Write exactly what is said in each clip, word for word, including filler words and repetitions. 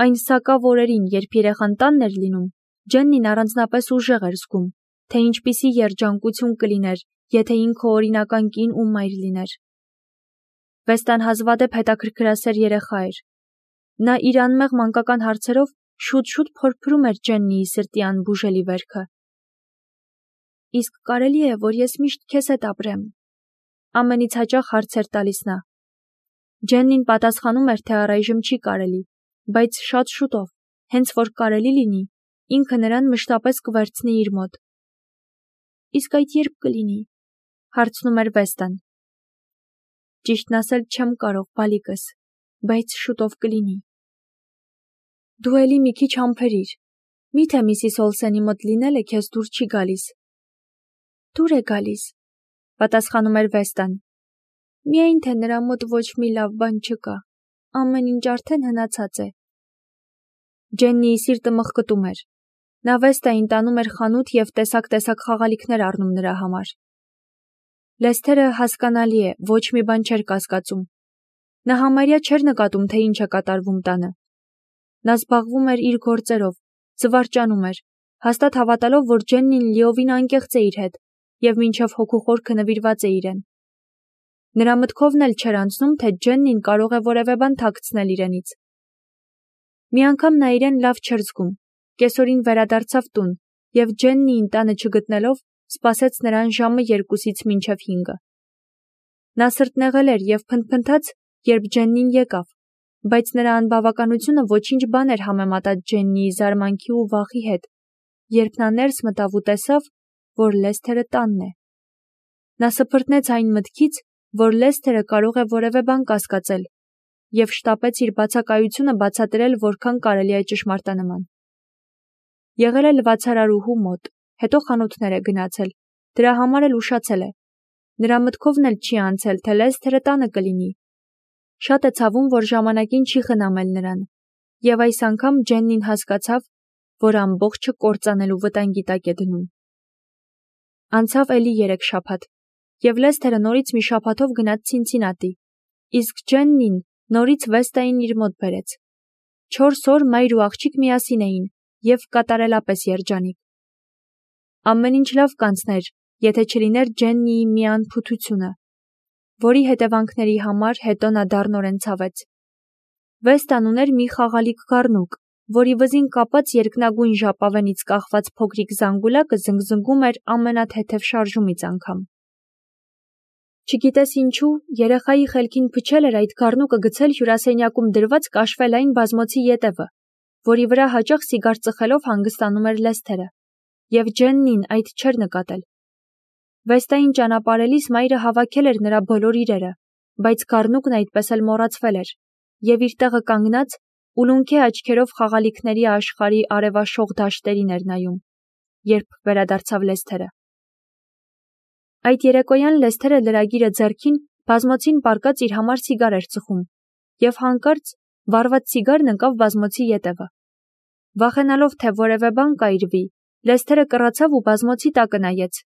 Այն սակավ օրերին, երբ երեխան տանն էր լինում, Ջեննին առանձնապես ուժեղ էր զգում, թե ինչպիսի երջանկություն կլիներ, եթե ինքը օրինական կին ու մայր լիներ։ Վեստան հազվադեպ հետաքրքրասեր երեխա էր։ Նա իր անմեղ մանկական հարցերով շուտ-շուտ փորփրում էր Ջեննիի սրտի անբուժելի վերքը։ Իսկ կարելի է, որ ես միշտ քեզ հետ ապրեմ։ Ամենից հաճախ հարց էր տալիս նա։ Ջեննին պատասխանում էր, թե առայժմ չի կարելի, բայց շատ շուտով, հենց որ կարելի լինի, ինքը նրան մշտապես կվերցնի իր մոտ։ Իսկ այդ երբ կլինի, հարցնում էր Վեստան։ Ճիշտն ասել չեմ կարող, բալիկս, բայց շուտով կլինի։ Դու էլի մի քիչ համբերիր, միթե միսիս Օլսենի մոտ լինելը քեզ դուր չի գալիս։ Դուր է գալիս, պատասխանում էր Վեստան։ Միայն թե նրա մոտ ոչ մի լավ բան չկա, ամեն ինչ արդեն հնացած է։ Ջեննիի սիրտը մխկտում էր։ Նա Վեստային տանում էր խանութ և տեսակ-տեսակ խաղալիքներ առնում նրա համար։ Լեսթերը հասկանալի է, ոչ մի բան չէր կասկածում։ Նա համարյա չէր նկատում, թե ինչ է կատարվում տանը։ Նա զբաղվում էր իր գործերով, զվարճանում էր, հաստատ հավատալով, որ Ջեննին լիովին անկեղծ է իր հետ և մինչև հոգու խորքը նվիրված է իրեն։ Նրա մտքովն էլ չէր անցնում, թե Ջեննին կարող է որևէ բան թաքցնել իրենից։ Մի անգամ նա իրեն լավ չէր զգում, կեսօրին վերադարձավ տուն և Ջեննիին տանը չգտնելով, սպասեց նրան ժամը երկուսից մինչև հինգը։ Նա սրտնեղել էր և փնթփնթաց, երբ Ջեննին եկավ, բայց նրա անբավականությունը ոչինչ բան էր համեմատած Ջեննիի զարմանքի ու վախի հետ, երբ նա ներս մտավ ու տեսավ, որ Լեսթերը տանն է։ Նա սփռտնեց այն մտքից, որ Լեսթերը կարող է որևէ բան կասկածել, և շտապեց իր բացակայությունը բացատրել որքան կարելի է ճշմարտանման։ Եղել է լվացարարուհու մոտ, հետո խանութներ է գնացել, դրա համար էլ ուշացել է։ Նրա մտքովն էլ չի անցել, թե Լեսթերը տանը կլինի։ Շատ է ցավում, որ ժամանակին չի խնամել նրան, և այս անգամ Ջեննին հասկացավ, որ ամբողջը կործանելու վտանգի տակ է դնում։ Անցավ էլի երեք շաբաթ, և Լեսթերը նորից մի շաբաթով գնաց Ցինցինատի, իսկ Ջեննին նորից Վեստային իր մոտ բերեց։ Չորս օր մայր ու աղջիկ միասին էին և կատարելապես երջանիկ։ Ամեն ինչ լավ կանցներ, եթե չլիներ Ջեննիի մի անփութությունը, որի հետևանքների համար հետո նա դառնորեն ցավեց։ Վեստան ուներ մի խաղալիք գառնուկ, որի վզին կապած երկնագույն ժապավենից կախված փոքրիկ զանգուլակը զնգզնգում էր ամենաթեթև շարժումից անգամ։ Չգիտես ինչու, երեխայի խելքին փչել էր այդ գառնուկը գցել հյուրասենյակում դրված կաշվելային բազմոցի ետևը, որի վրա հաճախ սիգար ծխելով հանգստանում էր Լեսթերը, և Ջեննին այդ չէր նկատել։ Վեստային ճանապարհելիս մայրը հավաքել էր նրա բոլոր իրերը, բայց գառնուկն այդպես էլ մոռացվել էր, և իր տեղը կանգնած, ուլունքի աչքերով խաղալիքների աշխարհի արևաշող դաշտերին էր նայում, երբ վերադարձավ Լեսթերը։ Այդ երեկոյան Լեսթերը լրագիրը ձեռքին բազմոցին պառկած իր համար սիգար էր ծխում, և հանկարծ վառված սիգարն ընկավ բազմոցի ետևը։ Վախենալով, թե որևէ բան կայրվի, Լեսթերը կռացավ ու բազմոցի տակը նայեց,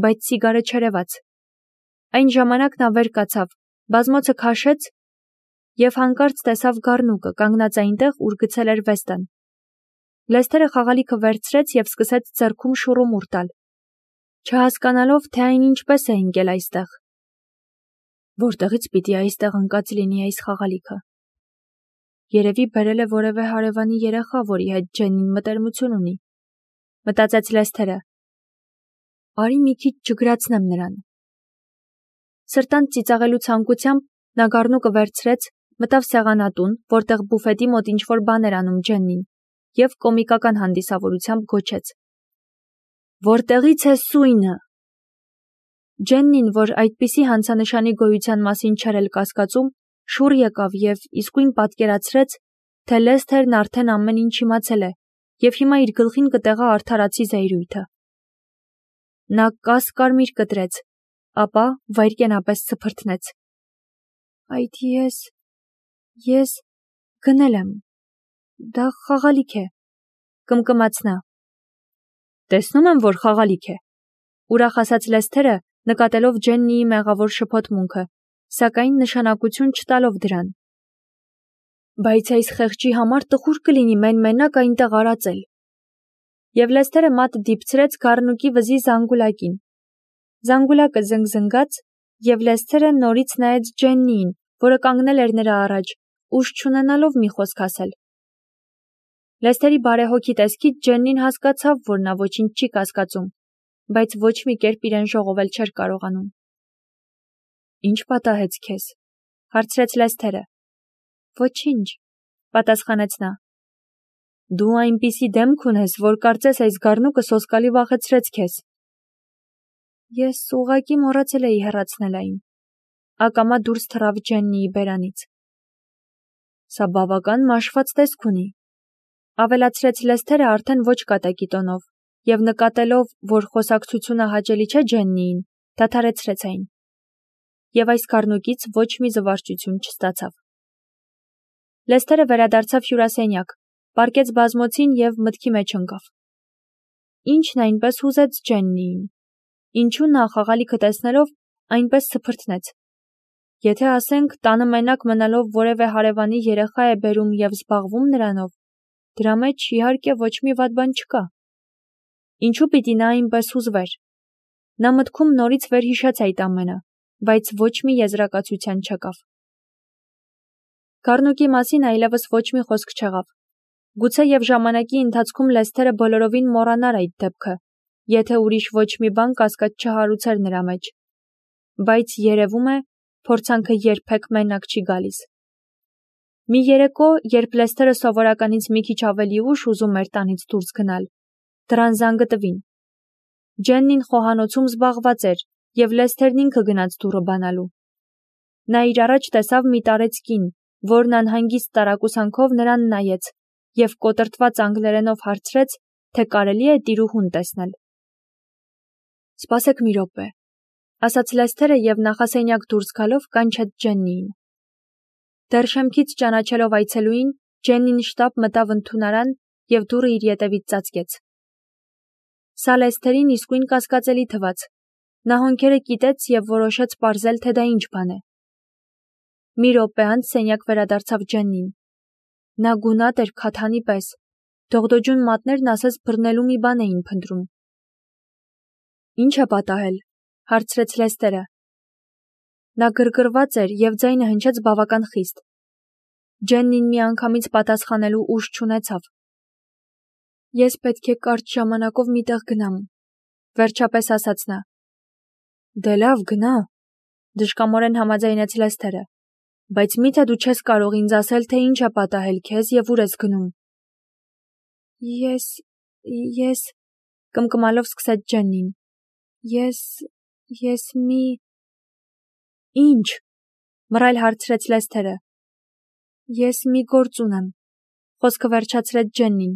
բայց սիգարը չերևաց։ Այն ժամանակ նա վեր կացավ, բազմոցը քաշեց և հանկարծ տեսավ գառնուկը կանգնած այնտեղ, ուր գցել էր Վեստան։ Լեսթերը խաղալիքը վերցրեց և սկսեց ձեռքում շուռումուռ տալ, չհասկանալով, թե այն ինչպես է ընկել այստեղ։ Որտեղից պիտի այստեղ ընկած լինի այս խաղալիքը։ Երևի բերել է որևէ հարևանի երեխա, որի հետ Ջեննին մտերմություն ունի, մտածեց Լեսթերը։ Արի մի քիչ ջգրացնեմ նրան։ Սրտանց ծիծաղելու ցանկությամբ նա գառնուկը վերցրեց, մտավ սեղանատուն, որտեղ բուֆետի մոտ ինչ-որ բան էր անում Ջեննին, և կոմիկական հանդիսավորությամբ գոչեց. Որտեղի՞ց է սույնը։ Ջեննին, որ այդպիսի հանցանշանի գոյության մասին չէր էլ կասկածում, շուռ եկավ և իսկույն պատկերացրեց, թե Լեսթերն արդեն ամեն ինչ իմացել է և հիմա իր գլխին կտեղա արդարացի զայրույթը։ Նա կաս-կարմիր կտրեց, ապա վայրկենապես սփռտնեց։ Այդ ես… ես… գնել եմ… դա խաղալիք է, կմկմաց նա։ Տեսնում եմ, որ խաղալիք է, ուրախ ասաց Լեսթերը, նկատելով Ջեննիի մեղավոր շփոթմունքը, սակայն նշանակություն չտալով դրան։ Բայց այս խեղճի համար տխուր կլինի մեն-մենակ այնտեղ արածել։ Եվ Լեսթերը մատը դիպցրեց գառնուկի վզի զանգուլակին։ Զանգուլակը զնգզնգաց, և Լեսթերը նորից նայեց Ջեննիին, որը կանգնել էր նրա առաջ, ուժ չունենալով մի խոսք ասել։ Լեսթերի բարեհոգի տեսքից Ջեննին հասկացավ, որ նա ոչինչ չի կասկածում, բայց ոչ մի կերպ իրեն ժողովել չէր կարողանում։ Ինչ պատահեց քեզ, հարցրեց Լեսթերը։ Ոչինչ, պատասխանեց նա։ Դու այնպիսի դեմք ունես, որ կարծես այս գառնուկը սոսկալի վախեցրեց քեզ։ Ես ուղղակի մոռացել էի հեռացնել այն։ Ակամա դուրս թռավ Ջեննիի բերանից։ Սա բավական մաշված տեսք ունի, ավելացրեց Լեսթերը արդեն ոչ կատակի տոնով, և նկատելով, որ խոսակցությունը հաճելի չէ Ջեննիին, դադարեցրեց այն։ Եվ այս գառնուկից ոչ մի զվարճություն չստացավ։ Լեսթերը վերադարձավ հյուրասենյակ, պառկեց բազմոցին և մտքի մեջ ընկավ։ Ինչն այնպես հուզեց Ջեննիին։ Ինչու նա խաղալիքը տեսնելով այնպես սփրթնեց։ Եթե ասենք տանը մենակ մնալով որևէ հարևանի երեխա է բերում և զբաղվում նրանով, դրա մեջ իհարկե ոչ մի վատ բան չկա։ Ինչու պիտի նա այնպես հուզվեր։ Նա մտքում նորից վերհիշեց այդ ամենը, բայց ոչ մի եզրակացության չեկավ։ Գառնուկի մասին այլևս ոչ մի խոսք չեղավ։ Գուցե և ժամանակի ընթացքում Լեսթերը բոլորովին մոռանար այդ դեպքը, եթե ուրիշ ոչ մի բան կասկած չհարուցեր նրա մեջ։ Բայց երևում է, փորձանքը երբեք մենակ չի գալիս։ Մի երեկո, երբ Լեսթերը սովորականից մի քիչ ավելի ուշ ուզում էր տանից դուրս գնալ, դռան զանգը տվին։ Ջեննին խոհանոցում զբաղված էր, և Լեսթերն ինքը գնաց դուռը բանալու։ Նա իր առաջ տեսավ մի տարեց կին, որն անհանգիստ տարակուսանքով նրան նայեց և կոտրտված անգլերենով հարցրեց, թե կարելի է տիրուհուն տեսնել։ Սպասեք մի րոպե, ասաց Լեսթերը և նախասենյակ դուրս գալով կանչեց Ջեննիին։ Դեռ շեմքից ճանաչելով այցելուին, Ջեննին շտապ մտավ ընդունարան և դուռը իր ետևից ծածկեց։ Սա Լեսթերին իսկույն կասկածելի թվաց։ Նա հոնքերը կիտեց և որոշեց պարզել, թե դա ինչ բան է։ Մի րոպե անց սենյակ վերադարձավ Ջեննին։ Նա գունատ էր քաթանի պես, դողդոջուն մատներն ասես բռնելու մի բան էին փնտրում։ Ինչ է պատահել, հարցրեց Լեսթերը։ Նա գրգռված էր և ձայնը հնչեց բավական խիստ։ Ջեննին միանգամից պատասխանելու ուժ չունեցավ։ Ես պետք է կարճ ժամանակով մի տեղ գնամ, վերջապես ասաց նա։ Դե լավ, գնա, դժկամորեն համաձայնեց Լեսթերը, բայց մի՞թե դու չես կարող ինձ ասել, թե ինչ է պատահել քեզ և ուր ես գնում։ Ես, ես, կմկմալով սկսեց Ջեննին։ Ես, ես մի… Ինչ, մռայլ հարցրեց Լեսթերը։ Ես մի գործ ունեմ, խոսքը վերջացրեց Ջեննին։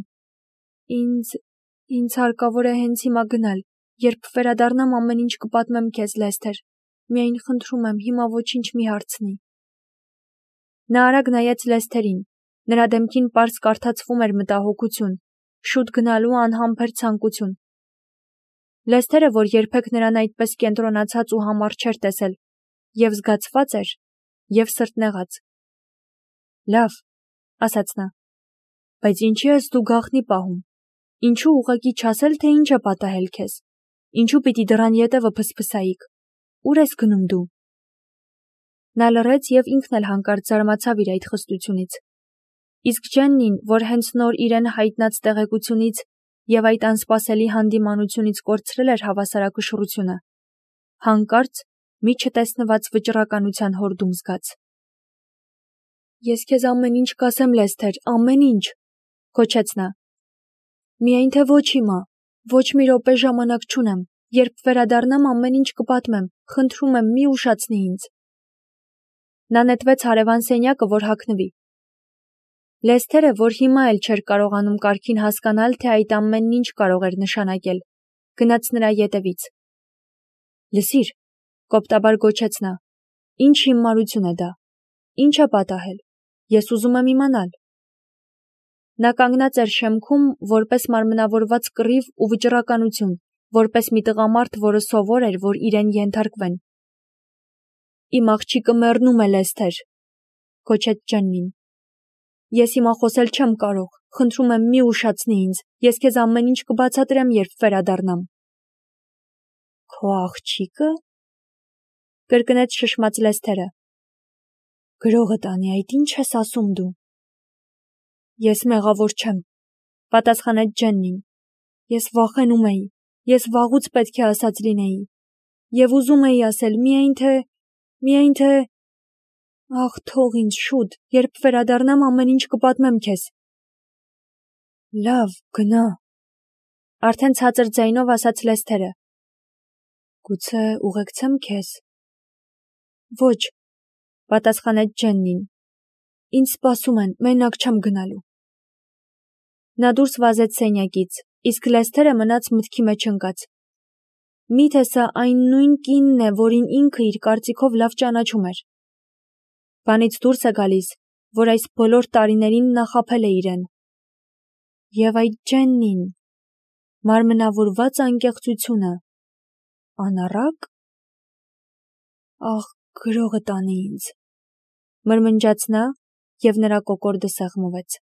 Ինձ, ինձ հարկավոր է հենց հիմա գնալ, երբ վերադառնամ ամեն ինչ կպատմեմ քեզ, Լեսթեր, միայն խնդրում եմ, հիմա ոչինչ մի հարցնի։ Նա արագ նայեց Լեսթերին, նրա դեմքին պարզ կարդացվում էր մտահոգություն, շուտ գնալու անհամբեր ցանկություն։ Լեսթերը, որ երբեք նրան այդպես կենտրոնացած ու համառ չէր տեսել, և զգացված էր, և սրտնեղած։ Լավ, ասաց նա, բայց ինչի ես դու գաղտնի պահում։ Ինչու ուղղակի չասել, թե ինչ է պատահել քեզ։ Ինչու պիտի դռան ետևը փսփսայիք։ Ուր ես գնում դու։ Նա լռեց և ինքն էլ հանկարծ զարմացավ իր այդ խստությունից։ Իսկ Ջեննին, որ հենց նոր իրեն հայտնած տեղեկությունից և այդ անսպասելի հանդիմանությունից կորցրել էր հավասարակշռությունը, հանկարծ մի չտեսնված վճռականության հորդում զգաց։ Ես քեզ ամեն ինչ կասեմ, Լեսթեր, ամեն ինչ, գոչեց նա։ Միայն թե ոչ հիմա, ոչ մի րոպե ժամանակ չունեմ, երբ վերադառնամ ամեն ինչ կպատմեմ, խնդրում եմ, մի ուշացնի ինձ։ Նա նետվեց հարևան սենյակը, որ հագնվի։ Լեսթերը, որ հիմա էլ չէր կարողանում կարգին հասկանալ, թե այդ ամենն ինչ կարող էր նշանակել, գնաց նրա ետևից։ Լսիր, կոպտաբար գոչեց նա, ինչ հիմարություն է դա, ինչ է պատահել, ես ուզում եմ իմանալ։ Նա կանգնած էր շեմքում, որպես մարմնավորված կռիվ ու վճռականություն, որպես մի տղամարդ, որը սովոր էր, որ իրեն ենթարկվեն։ Իմ աղջիկը մեռնում է, Լեսթեր, գոչեց Ջեննին։ Ես հիմա խոսել չեմ կարող, խնդրում եմ մի ուշացնի ինձ, ես քեզ ամեն ինչ կբացատրեմ, երբ վերադառնամ։ Քո աղջիկը, կրկնեց շշմած Լեսթերը։ Գրողը տանի, այդ ինչ ես ասում դու։ Ես մեղավոր չեմ, պատասխանեց Ջեննին։ Ես վախենում էի, ես վաղուց պետք է ասած լինեի։ Եվ ուզում էի ասել, միայն թե, միայն թե… Ախ, թող ինձ շուտ, երբ վերադառնամ ամեն ինչ կպատմեմ քեզ։ Լավ, գնա, արդեն ցածր ձայնով ասաց Լեսթերը։ Գուցե ուղեկցեմ քեզ։ Ոչ, պատասխանեց Ջեննին։ Ինձ սպասում են, մենակ չեմ գնալու։ Նա դուրս վազեց սենյակից, իսկ Լեսթերը մնաց մտքի մեջ ընկած։ Միթե սա այն նույն կինն է, որին ինքը իր կարծիքով լավ ճանաչում էր։ Բանից դուրս է գալիս, որ այս բոլոր տարիներին նա խաբել է իրեն։ Եվ այդ Ջեննին, մարմնավորված անկեղծությունը, անառակ… Ախ, գրողը տանի ինձ, մրմնջաց նա, և նրա կոկորդը սեղմվեց։